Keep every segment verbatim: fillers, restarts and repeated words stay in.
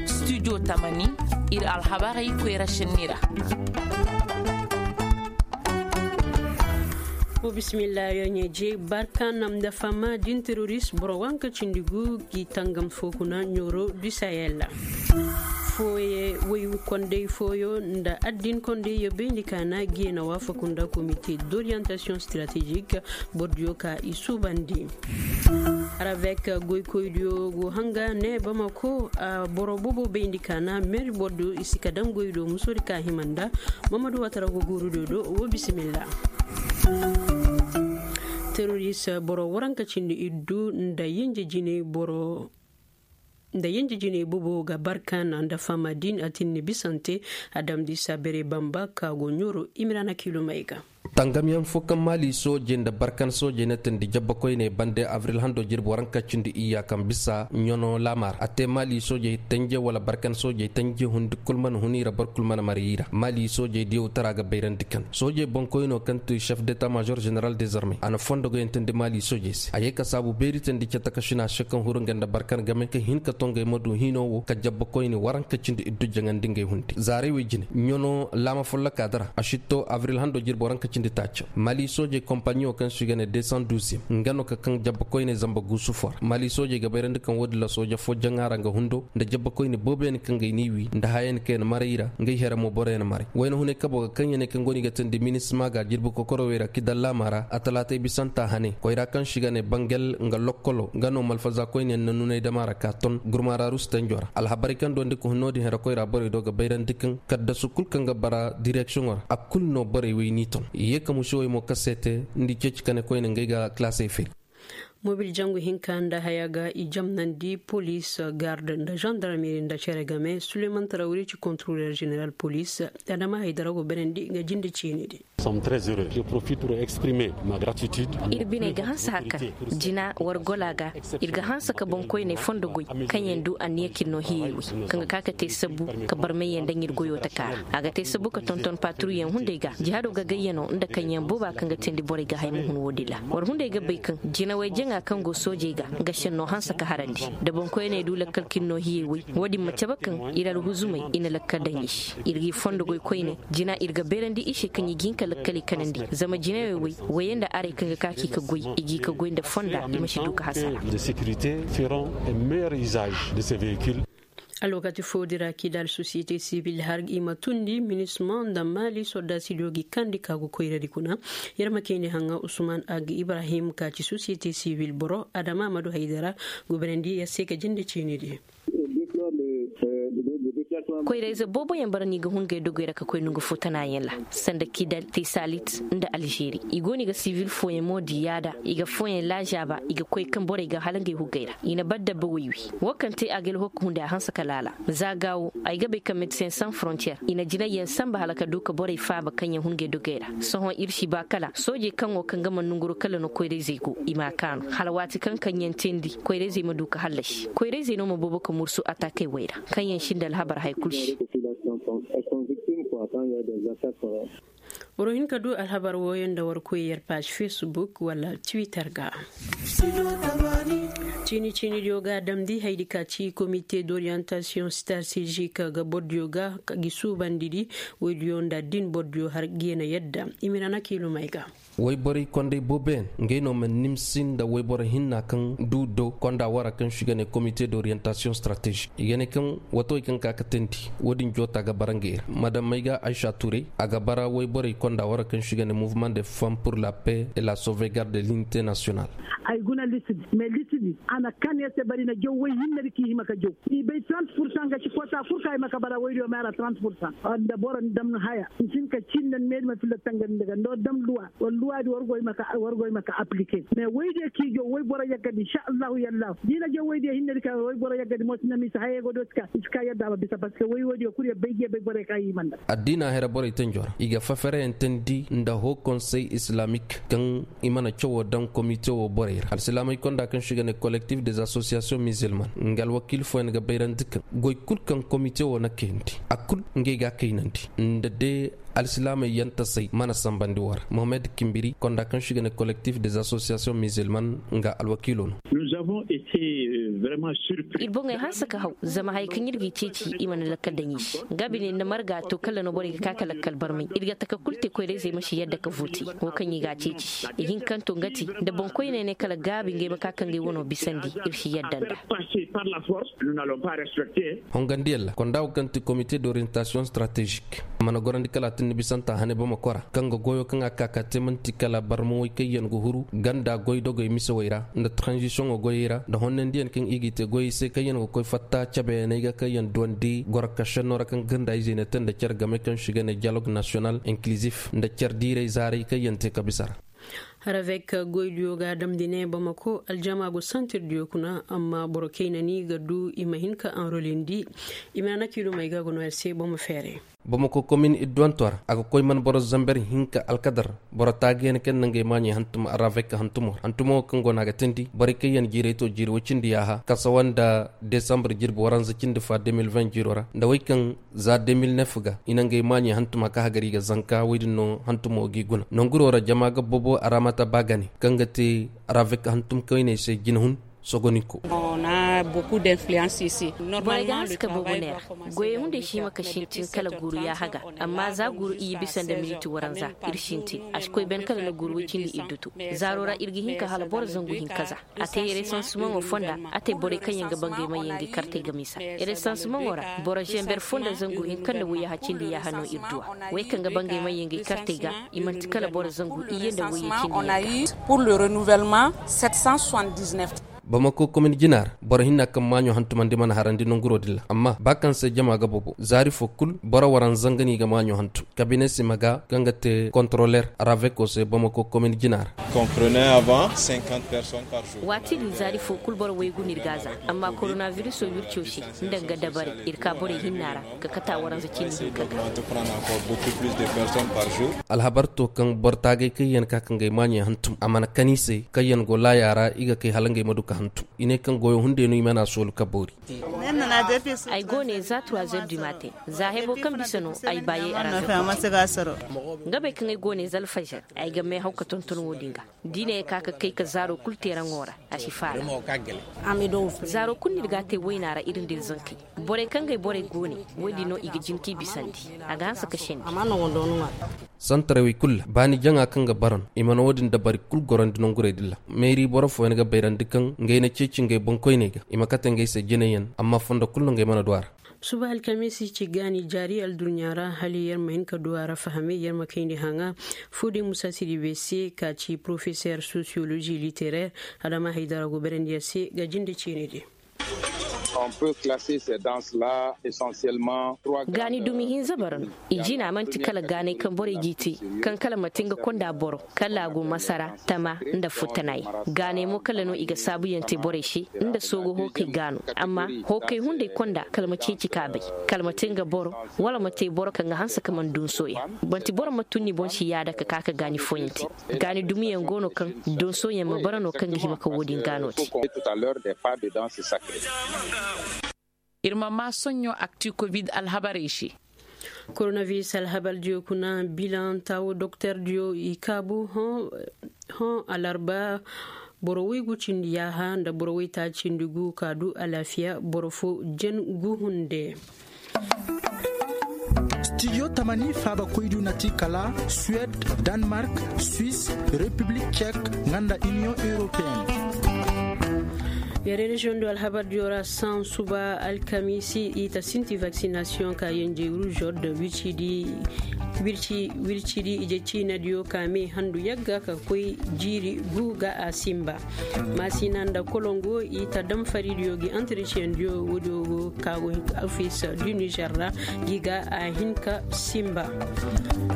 Studio tamani, ir alhabarey koyra sinni ra. Wo bisimilla yo ɲeje barka nam da fama din terorist boro wanka cindi gu gi tangam fo kuna ɲoro du sahel. Fooye woy kondey fooyo nda addin kondey yo bayndi ka na giyena waafaku nda comité d'orientation stratégique. Bordiyo ka i suubandi. Ravek goykoydiyo go hanga ne bamako a boro bobo bayndi ka na meri bordiyo i si ka daŋ goydo musodi ka hima nda. Mamadu watara go guurudiyo do wo bisimilla. Teroris boro waranka cindi iddu nda yinji jiney boro nda yinji jiney bobo ga barkan nda fama din a tinni bisante. A damdi sabere bamba ka go ɲoro imirana kilomey ga. Tangamyaŋ fo kaŋ maali soojey nda barkan soojey na tindi jabba koyney bande abril hando jirbi waranka cindi iyya kaŋ bisa ɲano laamar a te maali soojey tanje wala barkan soojey tanje hundi kul mana hun i ra boro kul mana mari i ra maali soojey diyaw tara ga bayrandi kaŋ soojey boŋkoyno kaŋ ti chef d'état major général des armées a na fondo ga yantandi maali soojey se a ye ka saabu beeri tandi cata ka sina se kaŋ huru nga nda barkan game ka hin ka to ngey ma du hino wo ka jabba koyne waranka cindi iddu jaŋandi ngey hundi zaaray wey jine ɲano laama folloka dara a sitto abril hando jirbi waranka cindi taaca maali soojey kompaɲiyo kaŋ si ga ne deux cent douze nga no ka kaŋ jabba koyne zamba guusu fo ra maali soojey ga bayrandi kaŋ woodin ra sooja fo jaŋa ra nga hundo nda jabba koyne booboyaŋ kaŋ ga ay n'i wi nda hayayaŋ kaŋ yaŋ maray i ra ngey here mo boroyaŋ maray wayna hunay kabo ga kaŋ yaŋ ne kaŋ go no i ga tindi minisma ga jirbi kokorowey ra kidal laama ra a talaatay bisanta hane koyra kaŋ si ga ne bangel nga lokkolo nga no malfaza koyne yaŋ na nunay dama ra ka ton gurmaaraaru si tanjo ra alhabarey kaŋ duwandi ka hun no-din here koyra borey do ga bayrandi kaŋ kaddasu kul kaŋ ga bara direksiyoŋo ra a kul no borey wey n'i ton i ye ka musuwey mo ka seete nda i ceeci ka ne koyne ngey ga kilaasey firi. Mobil jangu hinka nda haya ga i jamnandi polis garde nda zandarmeri nda cere game suleman tarawri ci kontroler general polis. Adama haydara go berandi nga jinde ciini di. Ir biney ga hanse hari kaŋ jina war gola ga ir ga hanse ka boŋkoyney fondo goy kaŋ yaŋ du anniya kinno hiyey wey kaŋ ga ka ka te sabbu ka barmayyaŋ daŋ ir goyo taka ra a ga te sabbu ka tonton paturuyyaŋ hunday ga jihado gagayyaŋo nda kaŋyaŋ booba kaŋ ga teendi borey ga hay ma hun wo-din ra war hunday ga bay kaŋ jinawey jaŋa kaŋ go soojey ga nga senno hanse ka harandi da boŋkoyney du lakkal kinno hiyey wey wo-din ma cabe kaŋ ir alhuzumey i na lakkal daŋ i se ir g'i fondo goy koyne jina ir ga beerandi i se kaŋ i ga hin ka lakkaley kanandi zama jinawey wey woyey nda arey kaŋ ga ka k'i ka goy i g'i ka goy nda fonda i ma si du ka hasara. Alwakati foo di ra kidal sosiyete sibil har i ma tundi minisma nda maali sordaasidiyo g'i kandi ka go koyradi kuna. Yer ma kayndi haŋa usman ag ibrahim ka ci sosiyete sibil boro adama amadu haydara guberandi yer se ka jinde ciinidi. Koyrayze booboyaŋ bara no i ga hun gay dogey ra ka koy nongu fo tanaayaŋ ra sanda kidal tesalit nda alžeri i go no i ga sivil fooyaŋ mo di yaada i ga fooyaŋ laazaaba i ga koy kaŋ borey ga hala ngey hugey ra i na bar dabba woy wi. Wo kaŋ te a ga alhokka hunday a hanse ka laala za ga wo ay ga bay kaŋ medecin sans frontier i na jinayyaŋ sanba hala ka du ka borey faaba kaŋ yaŋ hun gay dogey ra. Sohõ ir si ba kala soojey kaŋo kaŋ ga mana nonguro kala no koyrayzey go i m'a kaanu hala waati kaŋ kaŋ yaŋ teendi koyrayzey ma du ka hallasi koyrayzey no ma boobo ka mursu atakey wey ra kaŋ yaŋ sinda alhabar hay kul se. War hin ka du alhabar wooyaŋ nda war koy yer paaž facebook wala twitter ga. Ciini ciinidiyo ga a damndi haydi ka ci komite d'orientasiyoŋ stratezik ga bordiyo ga gi suubandidi. Woydiyo nda din bordiyo har geena yadda i ma i na na kiilumey ga. Woyborey kondey booboyaŋ ngey no ma nimsi nda woyboro hinna kaŋ du do konda wara kaŋ si ga ne komite d'orientasiyoŋ stratezik i ga ne kaŋ watawey kaŋ ka ka teendi. Wo-din joota ga bara ngey ra madamey ga aysa tuurey a ga bara woyborey konda wara kaŋ si ga ne mouvement de femme pour la paix et la sauvegarde de l'unité nationale. Ay guna liste di mais liste di a na kan yer se bari na jaw woy hinne di k'i hima ka jaw i bay trente pourcent ga ci koota kul ka hima ka bara woydiyo meera trente pourcent. Nda boro ni damnu haya ni si hin ka ciini nda ni meedi ma filla tangari nda ga nda war dam luwa war luwa di war goy ma ka war goy ma ka aplike mais woydiyo k'i jaw woy boro yagga di insa allahu yallahu da i na jaw woydiyo hinne di ka woy boro yagga di mo si na ma i si hayey go do i si ka yadda a ma bisa parceque woy woydiyo kul yer bay jiya bay borey ka i hima nda. Addiina hera borey tanjo ra i ga fafereyaŋ teendi nda hoo konsey islamik kaŋ i mana cawo daŋ komite wo borey ra alsilaamey konda kaŋ si ga ne kolektif des asosiyasiyoŋ mizilman nga alwakiil fooyaŋ ga bayrandi kaŋ goy kul kaŋ komite wo na kayandi a kul ngey ga a kaynandi nda de. Alsilaamey yantasey mana sanbandi war mohammed kimbiri konda kaŋ si ga ne kolektif des asosiyasiyoŋ mizilman nga alwakiilo no. Ir boŋey hanse ka haw zama haya kaŋ ir g'i ceeci i mana lakkal daŋ i se. Nga bine nda marga to kala no borey ga ka ka lakkal barmay ir ga taka kulu te koyra-izey ma si yadda ka vooti. Wo kaŋ i g'a ceeci i hinkanto nga te nda boŋkoyney ne kala gaabi ngey ma ka ka ngey wano bisandi. Ir si yadda nda. Hongandiyaŋ ra konda wo kaŋ ti komite d'orientasiyoŋ stratezik a mana gorandi kala a tinni bisanta hane bamako ra kaŋ ga goyo kaŋ a ka ka te man'ti kala barmawey kaŋ yaŋ ga huru ganda goydogey misewey ra nda taranzisiyoŋo goyey ra nda honnandiyaŋ kaŋ i g'i te goyey se kaŋ yaŋ ga koy fatta cabeyaney ga kaŋ yaŋ duwandi goro kašenno ra kaŋ ganda izey na te nda care game kaŋ si ga ne diyalog nasiyonal inkilizif nda care diirey zaaray kaŋ yaŋ te ka bisa ra. Ravek goydiyo ga a damndi ne bamako aljama go santirdiyo kuna amma boro kayna ni ga du i ma hin ka anrolindi. I ma na nakiilumey ga go no yer se boro ma feeray. Bamako komin idduwanto ra a ga koy man boro zamber hinka alkadar boro taagayaŋ kaŋ na ngey maaɲey hantum ravek hantumo ra hantumo wo kaŋ go no a ga teendi borey kaŋ yaŋ jiiray to jiiri woy cindi yaaha kasawa nda desambar jirbi waranza cindi fa deux mille vingt jiiro ra nda wey kaŋ za deux mille neuf ga i na ngey maaɲey hantum a ka hagari ga zanka wey din no hantumo g'i guna nanguro ra jama ga bobo a ra mata ba gane kaŋ ga te ravek hantum kayney se jinahun. Sogoninko. Borey ga hanse ka bobo neera goyey hunday si hima ka sintin kala guuru yaaha ga. Amma za guuru iyye bisa nda miniti waranza ir sintin a si koy ben kala nda guuru woy cindi iddu to. Zaaro ra ir ga hin ka hala boro zangu hinka za a te resansimaŋo fonda a te borey kaŋ yaŋ ga ba ngey mayyaŋ ga i kartey ga misa. Resansimaŋo ra boro zember fo nda zangu hinka nda woyyaha cindi yaaha no ir du a. Wey kaŋ ga ba ngey mayyaŋ ga i kartey ga i man'ti kala boro zangu iyye nda woyye cindi yaaha. Bamako komin jina ra boro hinna kaŋ maaɲo hantumandi mana harandi nanguro din ra amma ba kaŋ se jama ga bobo zaari fo kul boro waranza nga no i ga maaɲo hantum kabine sima ga kaŋ ga te kontroler raveko se bamako komin jina ra. Waati din zaari fo kul boro waygu no ir ga a za amma koronabiriso wirco se nda nga dabari ir ka borey hinna ra. Ka kata waranza cindi hinka ga. Alhabar to kaŋ boro taagay kaŋ yaŋ ka ka ngey maaɲey hantum a mana kan i se kaŋ yaŋ go laaya ra i ga kay hala ngey ma du ka hantum i ne kaŋ goyo hunday no i mana soolu ka boori. Ay go ne za trois heures du matin za hebo kaŋ bisa no ay baayey a ra. Nga bay kaŋ ay go ne za alfajar ay ga meehaw ka tonton wo-din ga. Da i ne ka ka kay ka zaaro kul teeraŋo ra a si faala. Zaaro kul no ir ga a te wayna ra ir nda ir zankey. Borey kaŋ gay borey go ne. Wo-din no i ga jin k'i bisandi a ga hanse ka sendi. Santaray wey kul ra baani jaŋa kaŋ ga bara no i mana wo-din dabari kul gorandi nangurey din ra. Meeri boro fooyaŋ ga bayrandi kaŋ ngey na ceeci ngey boŋkoyney ga i ma kate ngey se jinayaŋ amma fondo kul no ngey mana du a ra. Suba alkamiisi ci gaani jaari alduɲɲa ra hala yer ma hin ka du a ra fahamay yer ma kayndi haŋa. Foo day musa siribe se ka ci porofeseer sosiyolozi litereer adama haydara go berandi yer se ga jinde ciini di. Gaani dumi hinza bara no. I jina man'ti kala gaanay kaŋ borey g'i te kaŋ kala ma te nga konda boro kala a go masara tama nda futtanay. Gaanay mo kala no i ga saabuyaŋ te borey se nda soogo hookey gaano. Amma hookey hunday konda kala ma ceeci ka bay kala ma te nga boro wala ma te boro kaŋ ga hanse ka man donsoyaŋ. Man'ti boro ma tun ni boŋ si yaada ka ka ka gaani fooyaŋ te. Gaani dumiyaŋ go no kaŋ donsoyaŋ ma bara no kaŋ ga hima ka wo-din gaano te. Ir ma maa soɲɲo akti kovid alhabarey se. Koronabiris alhabardiyo kuna bilaŋ taawo doktordiyo i kaabu hõ alarba. Boro woy gu cindi yaaha nda boro woy taaci cindi gu ka du alaafiya boro fo jen gu hunde. Stijo tamani faabakoydu na ti kala suwed, danmark, swis, repiblik cek, nga nda iniyoŋ europeyenne. Yare reziyoŋ do alhabardiyo ra saŋ suba alkamiisi i ta sinti vaksinasiyoŋ ka yenjey ruuzor da wircidi ije ciinadiyo ka me handu yagga ka koy jiiri gu ga a sinba. Maasina nda kolongo i ta dam faridiyo gi antresiyeŋ diyo woodiyo go ka go hin ka ofis du nizer ra. Gi ga a hin ka sinba.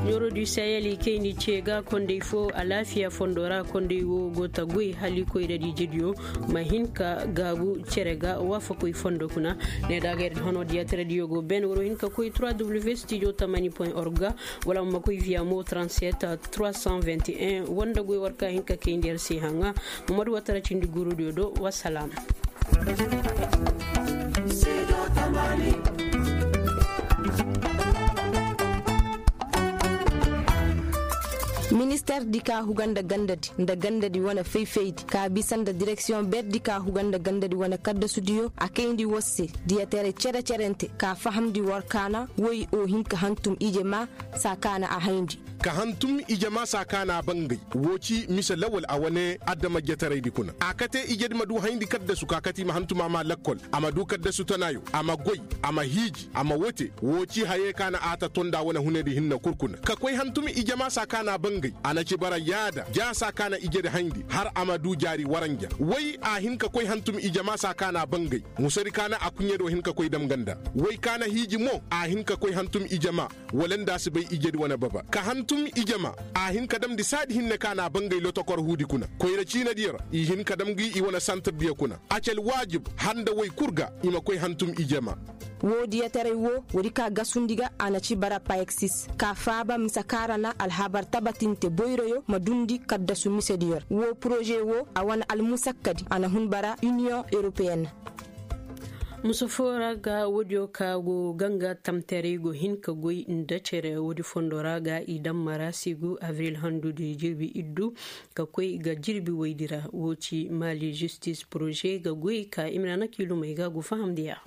Ɲoro du sahel i kayndi ce ga kondey fo alaafiya fondo ra kondey wo go ta goy hala i koyradi ijediyo ma hin ka gaabu cere ga waafakoy fondo kuna. Ne da agay ra hono diyataradiyo go ben war wo hin ka koy trois w studio tamani point org ga. Wala ma koy via mo trente-sept trois cent vingt et un wanda goy war ka hin ka kayndi yer se haŋa. Mamadu watara cindi guurudiyo do wasalaam. Terdi ka huga nda gandadi nda gandadi wane fayfaydi ka bisa nda direksiyoŋ berdi ka huga nda gandadi wane kaddasudiyo a kayndi war se. Diyataray cere-cerente ka fahamndi war kaana woy o hin ka hantum ije ma saa kaana a hayndi. Ka hantum ije ma saa kaana a bangay. Woo ci mise lawal a wane adama jetaraydi kuna a kate ijedi ma du hayndi kaddasu ka kate i ma hantum a ma lakkol, a ma du kaddasu tanaayo, a ma goy, a ma hiiji, a ma wote. Woo ci hayey kaana a ta tonda wane hunedi hinne kul kuna ka koy hantum ije ma saa kaana a bangay. A na ci bara yaada ja saa kaana ijedi hayndi har a ma du jaari waranja woy a hin ka koy hantum ije ma saa kaana a bangay. Musadi kaana a kuɲedo hin ka koy dam ganda woy kaana hiiji mo a hin ka koy hantum ije ma. Wala nda a si bay ijedi wane baba ka hantum ije ma. A hin ka damndi saadi hinne kaana a bangay lotokor huudi kuna koyra ciinadiyo ra i hin ka dam gi i wane santirdiyo kuna. A ci alwaajib har nda woy kul ga i ma koy hantum ije ma. Woo diyataray woo woodi ka gasundi ga a na ci bara payeksis ka faaba mise kaŋ ra na alhabar tabatinte boyroyo ma duundi kaddasu misediyo ra woo poroze woo a wane almusakkadi a na hun bara iniyoŋ europeyen. Musa foo ra ga woodiyo ka go ganga tamtaray go hin ka goy nda cere woodi fondo ra ga i daŋ mara sigu abril handudi jirbi iddu ka koy ga jirbi woydi ra woo ci maali zistis poroze ga goy ka i ma na na kiilumey ga go fahamndi a.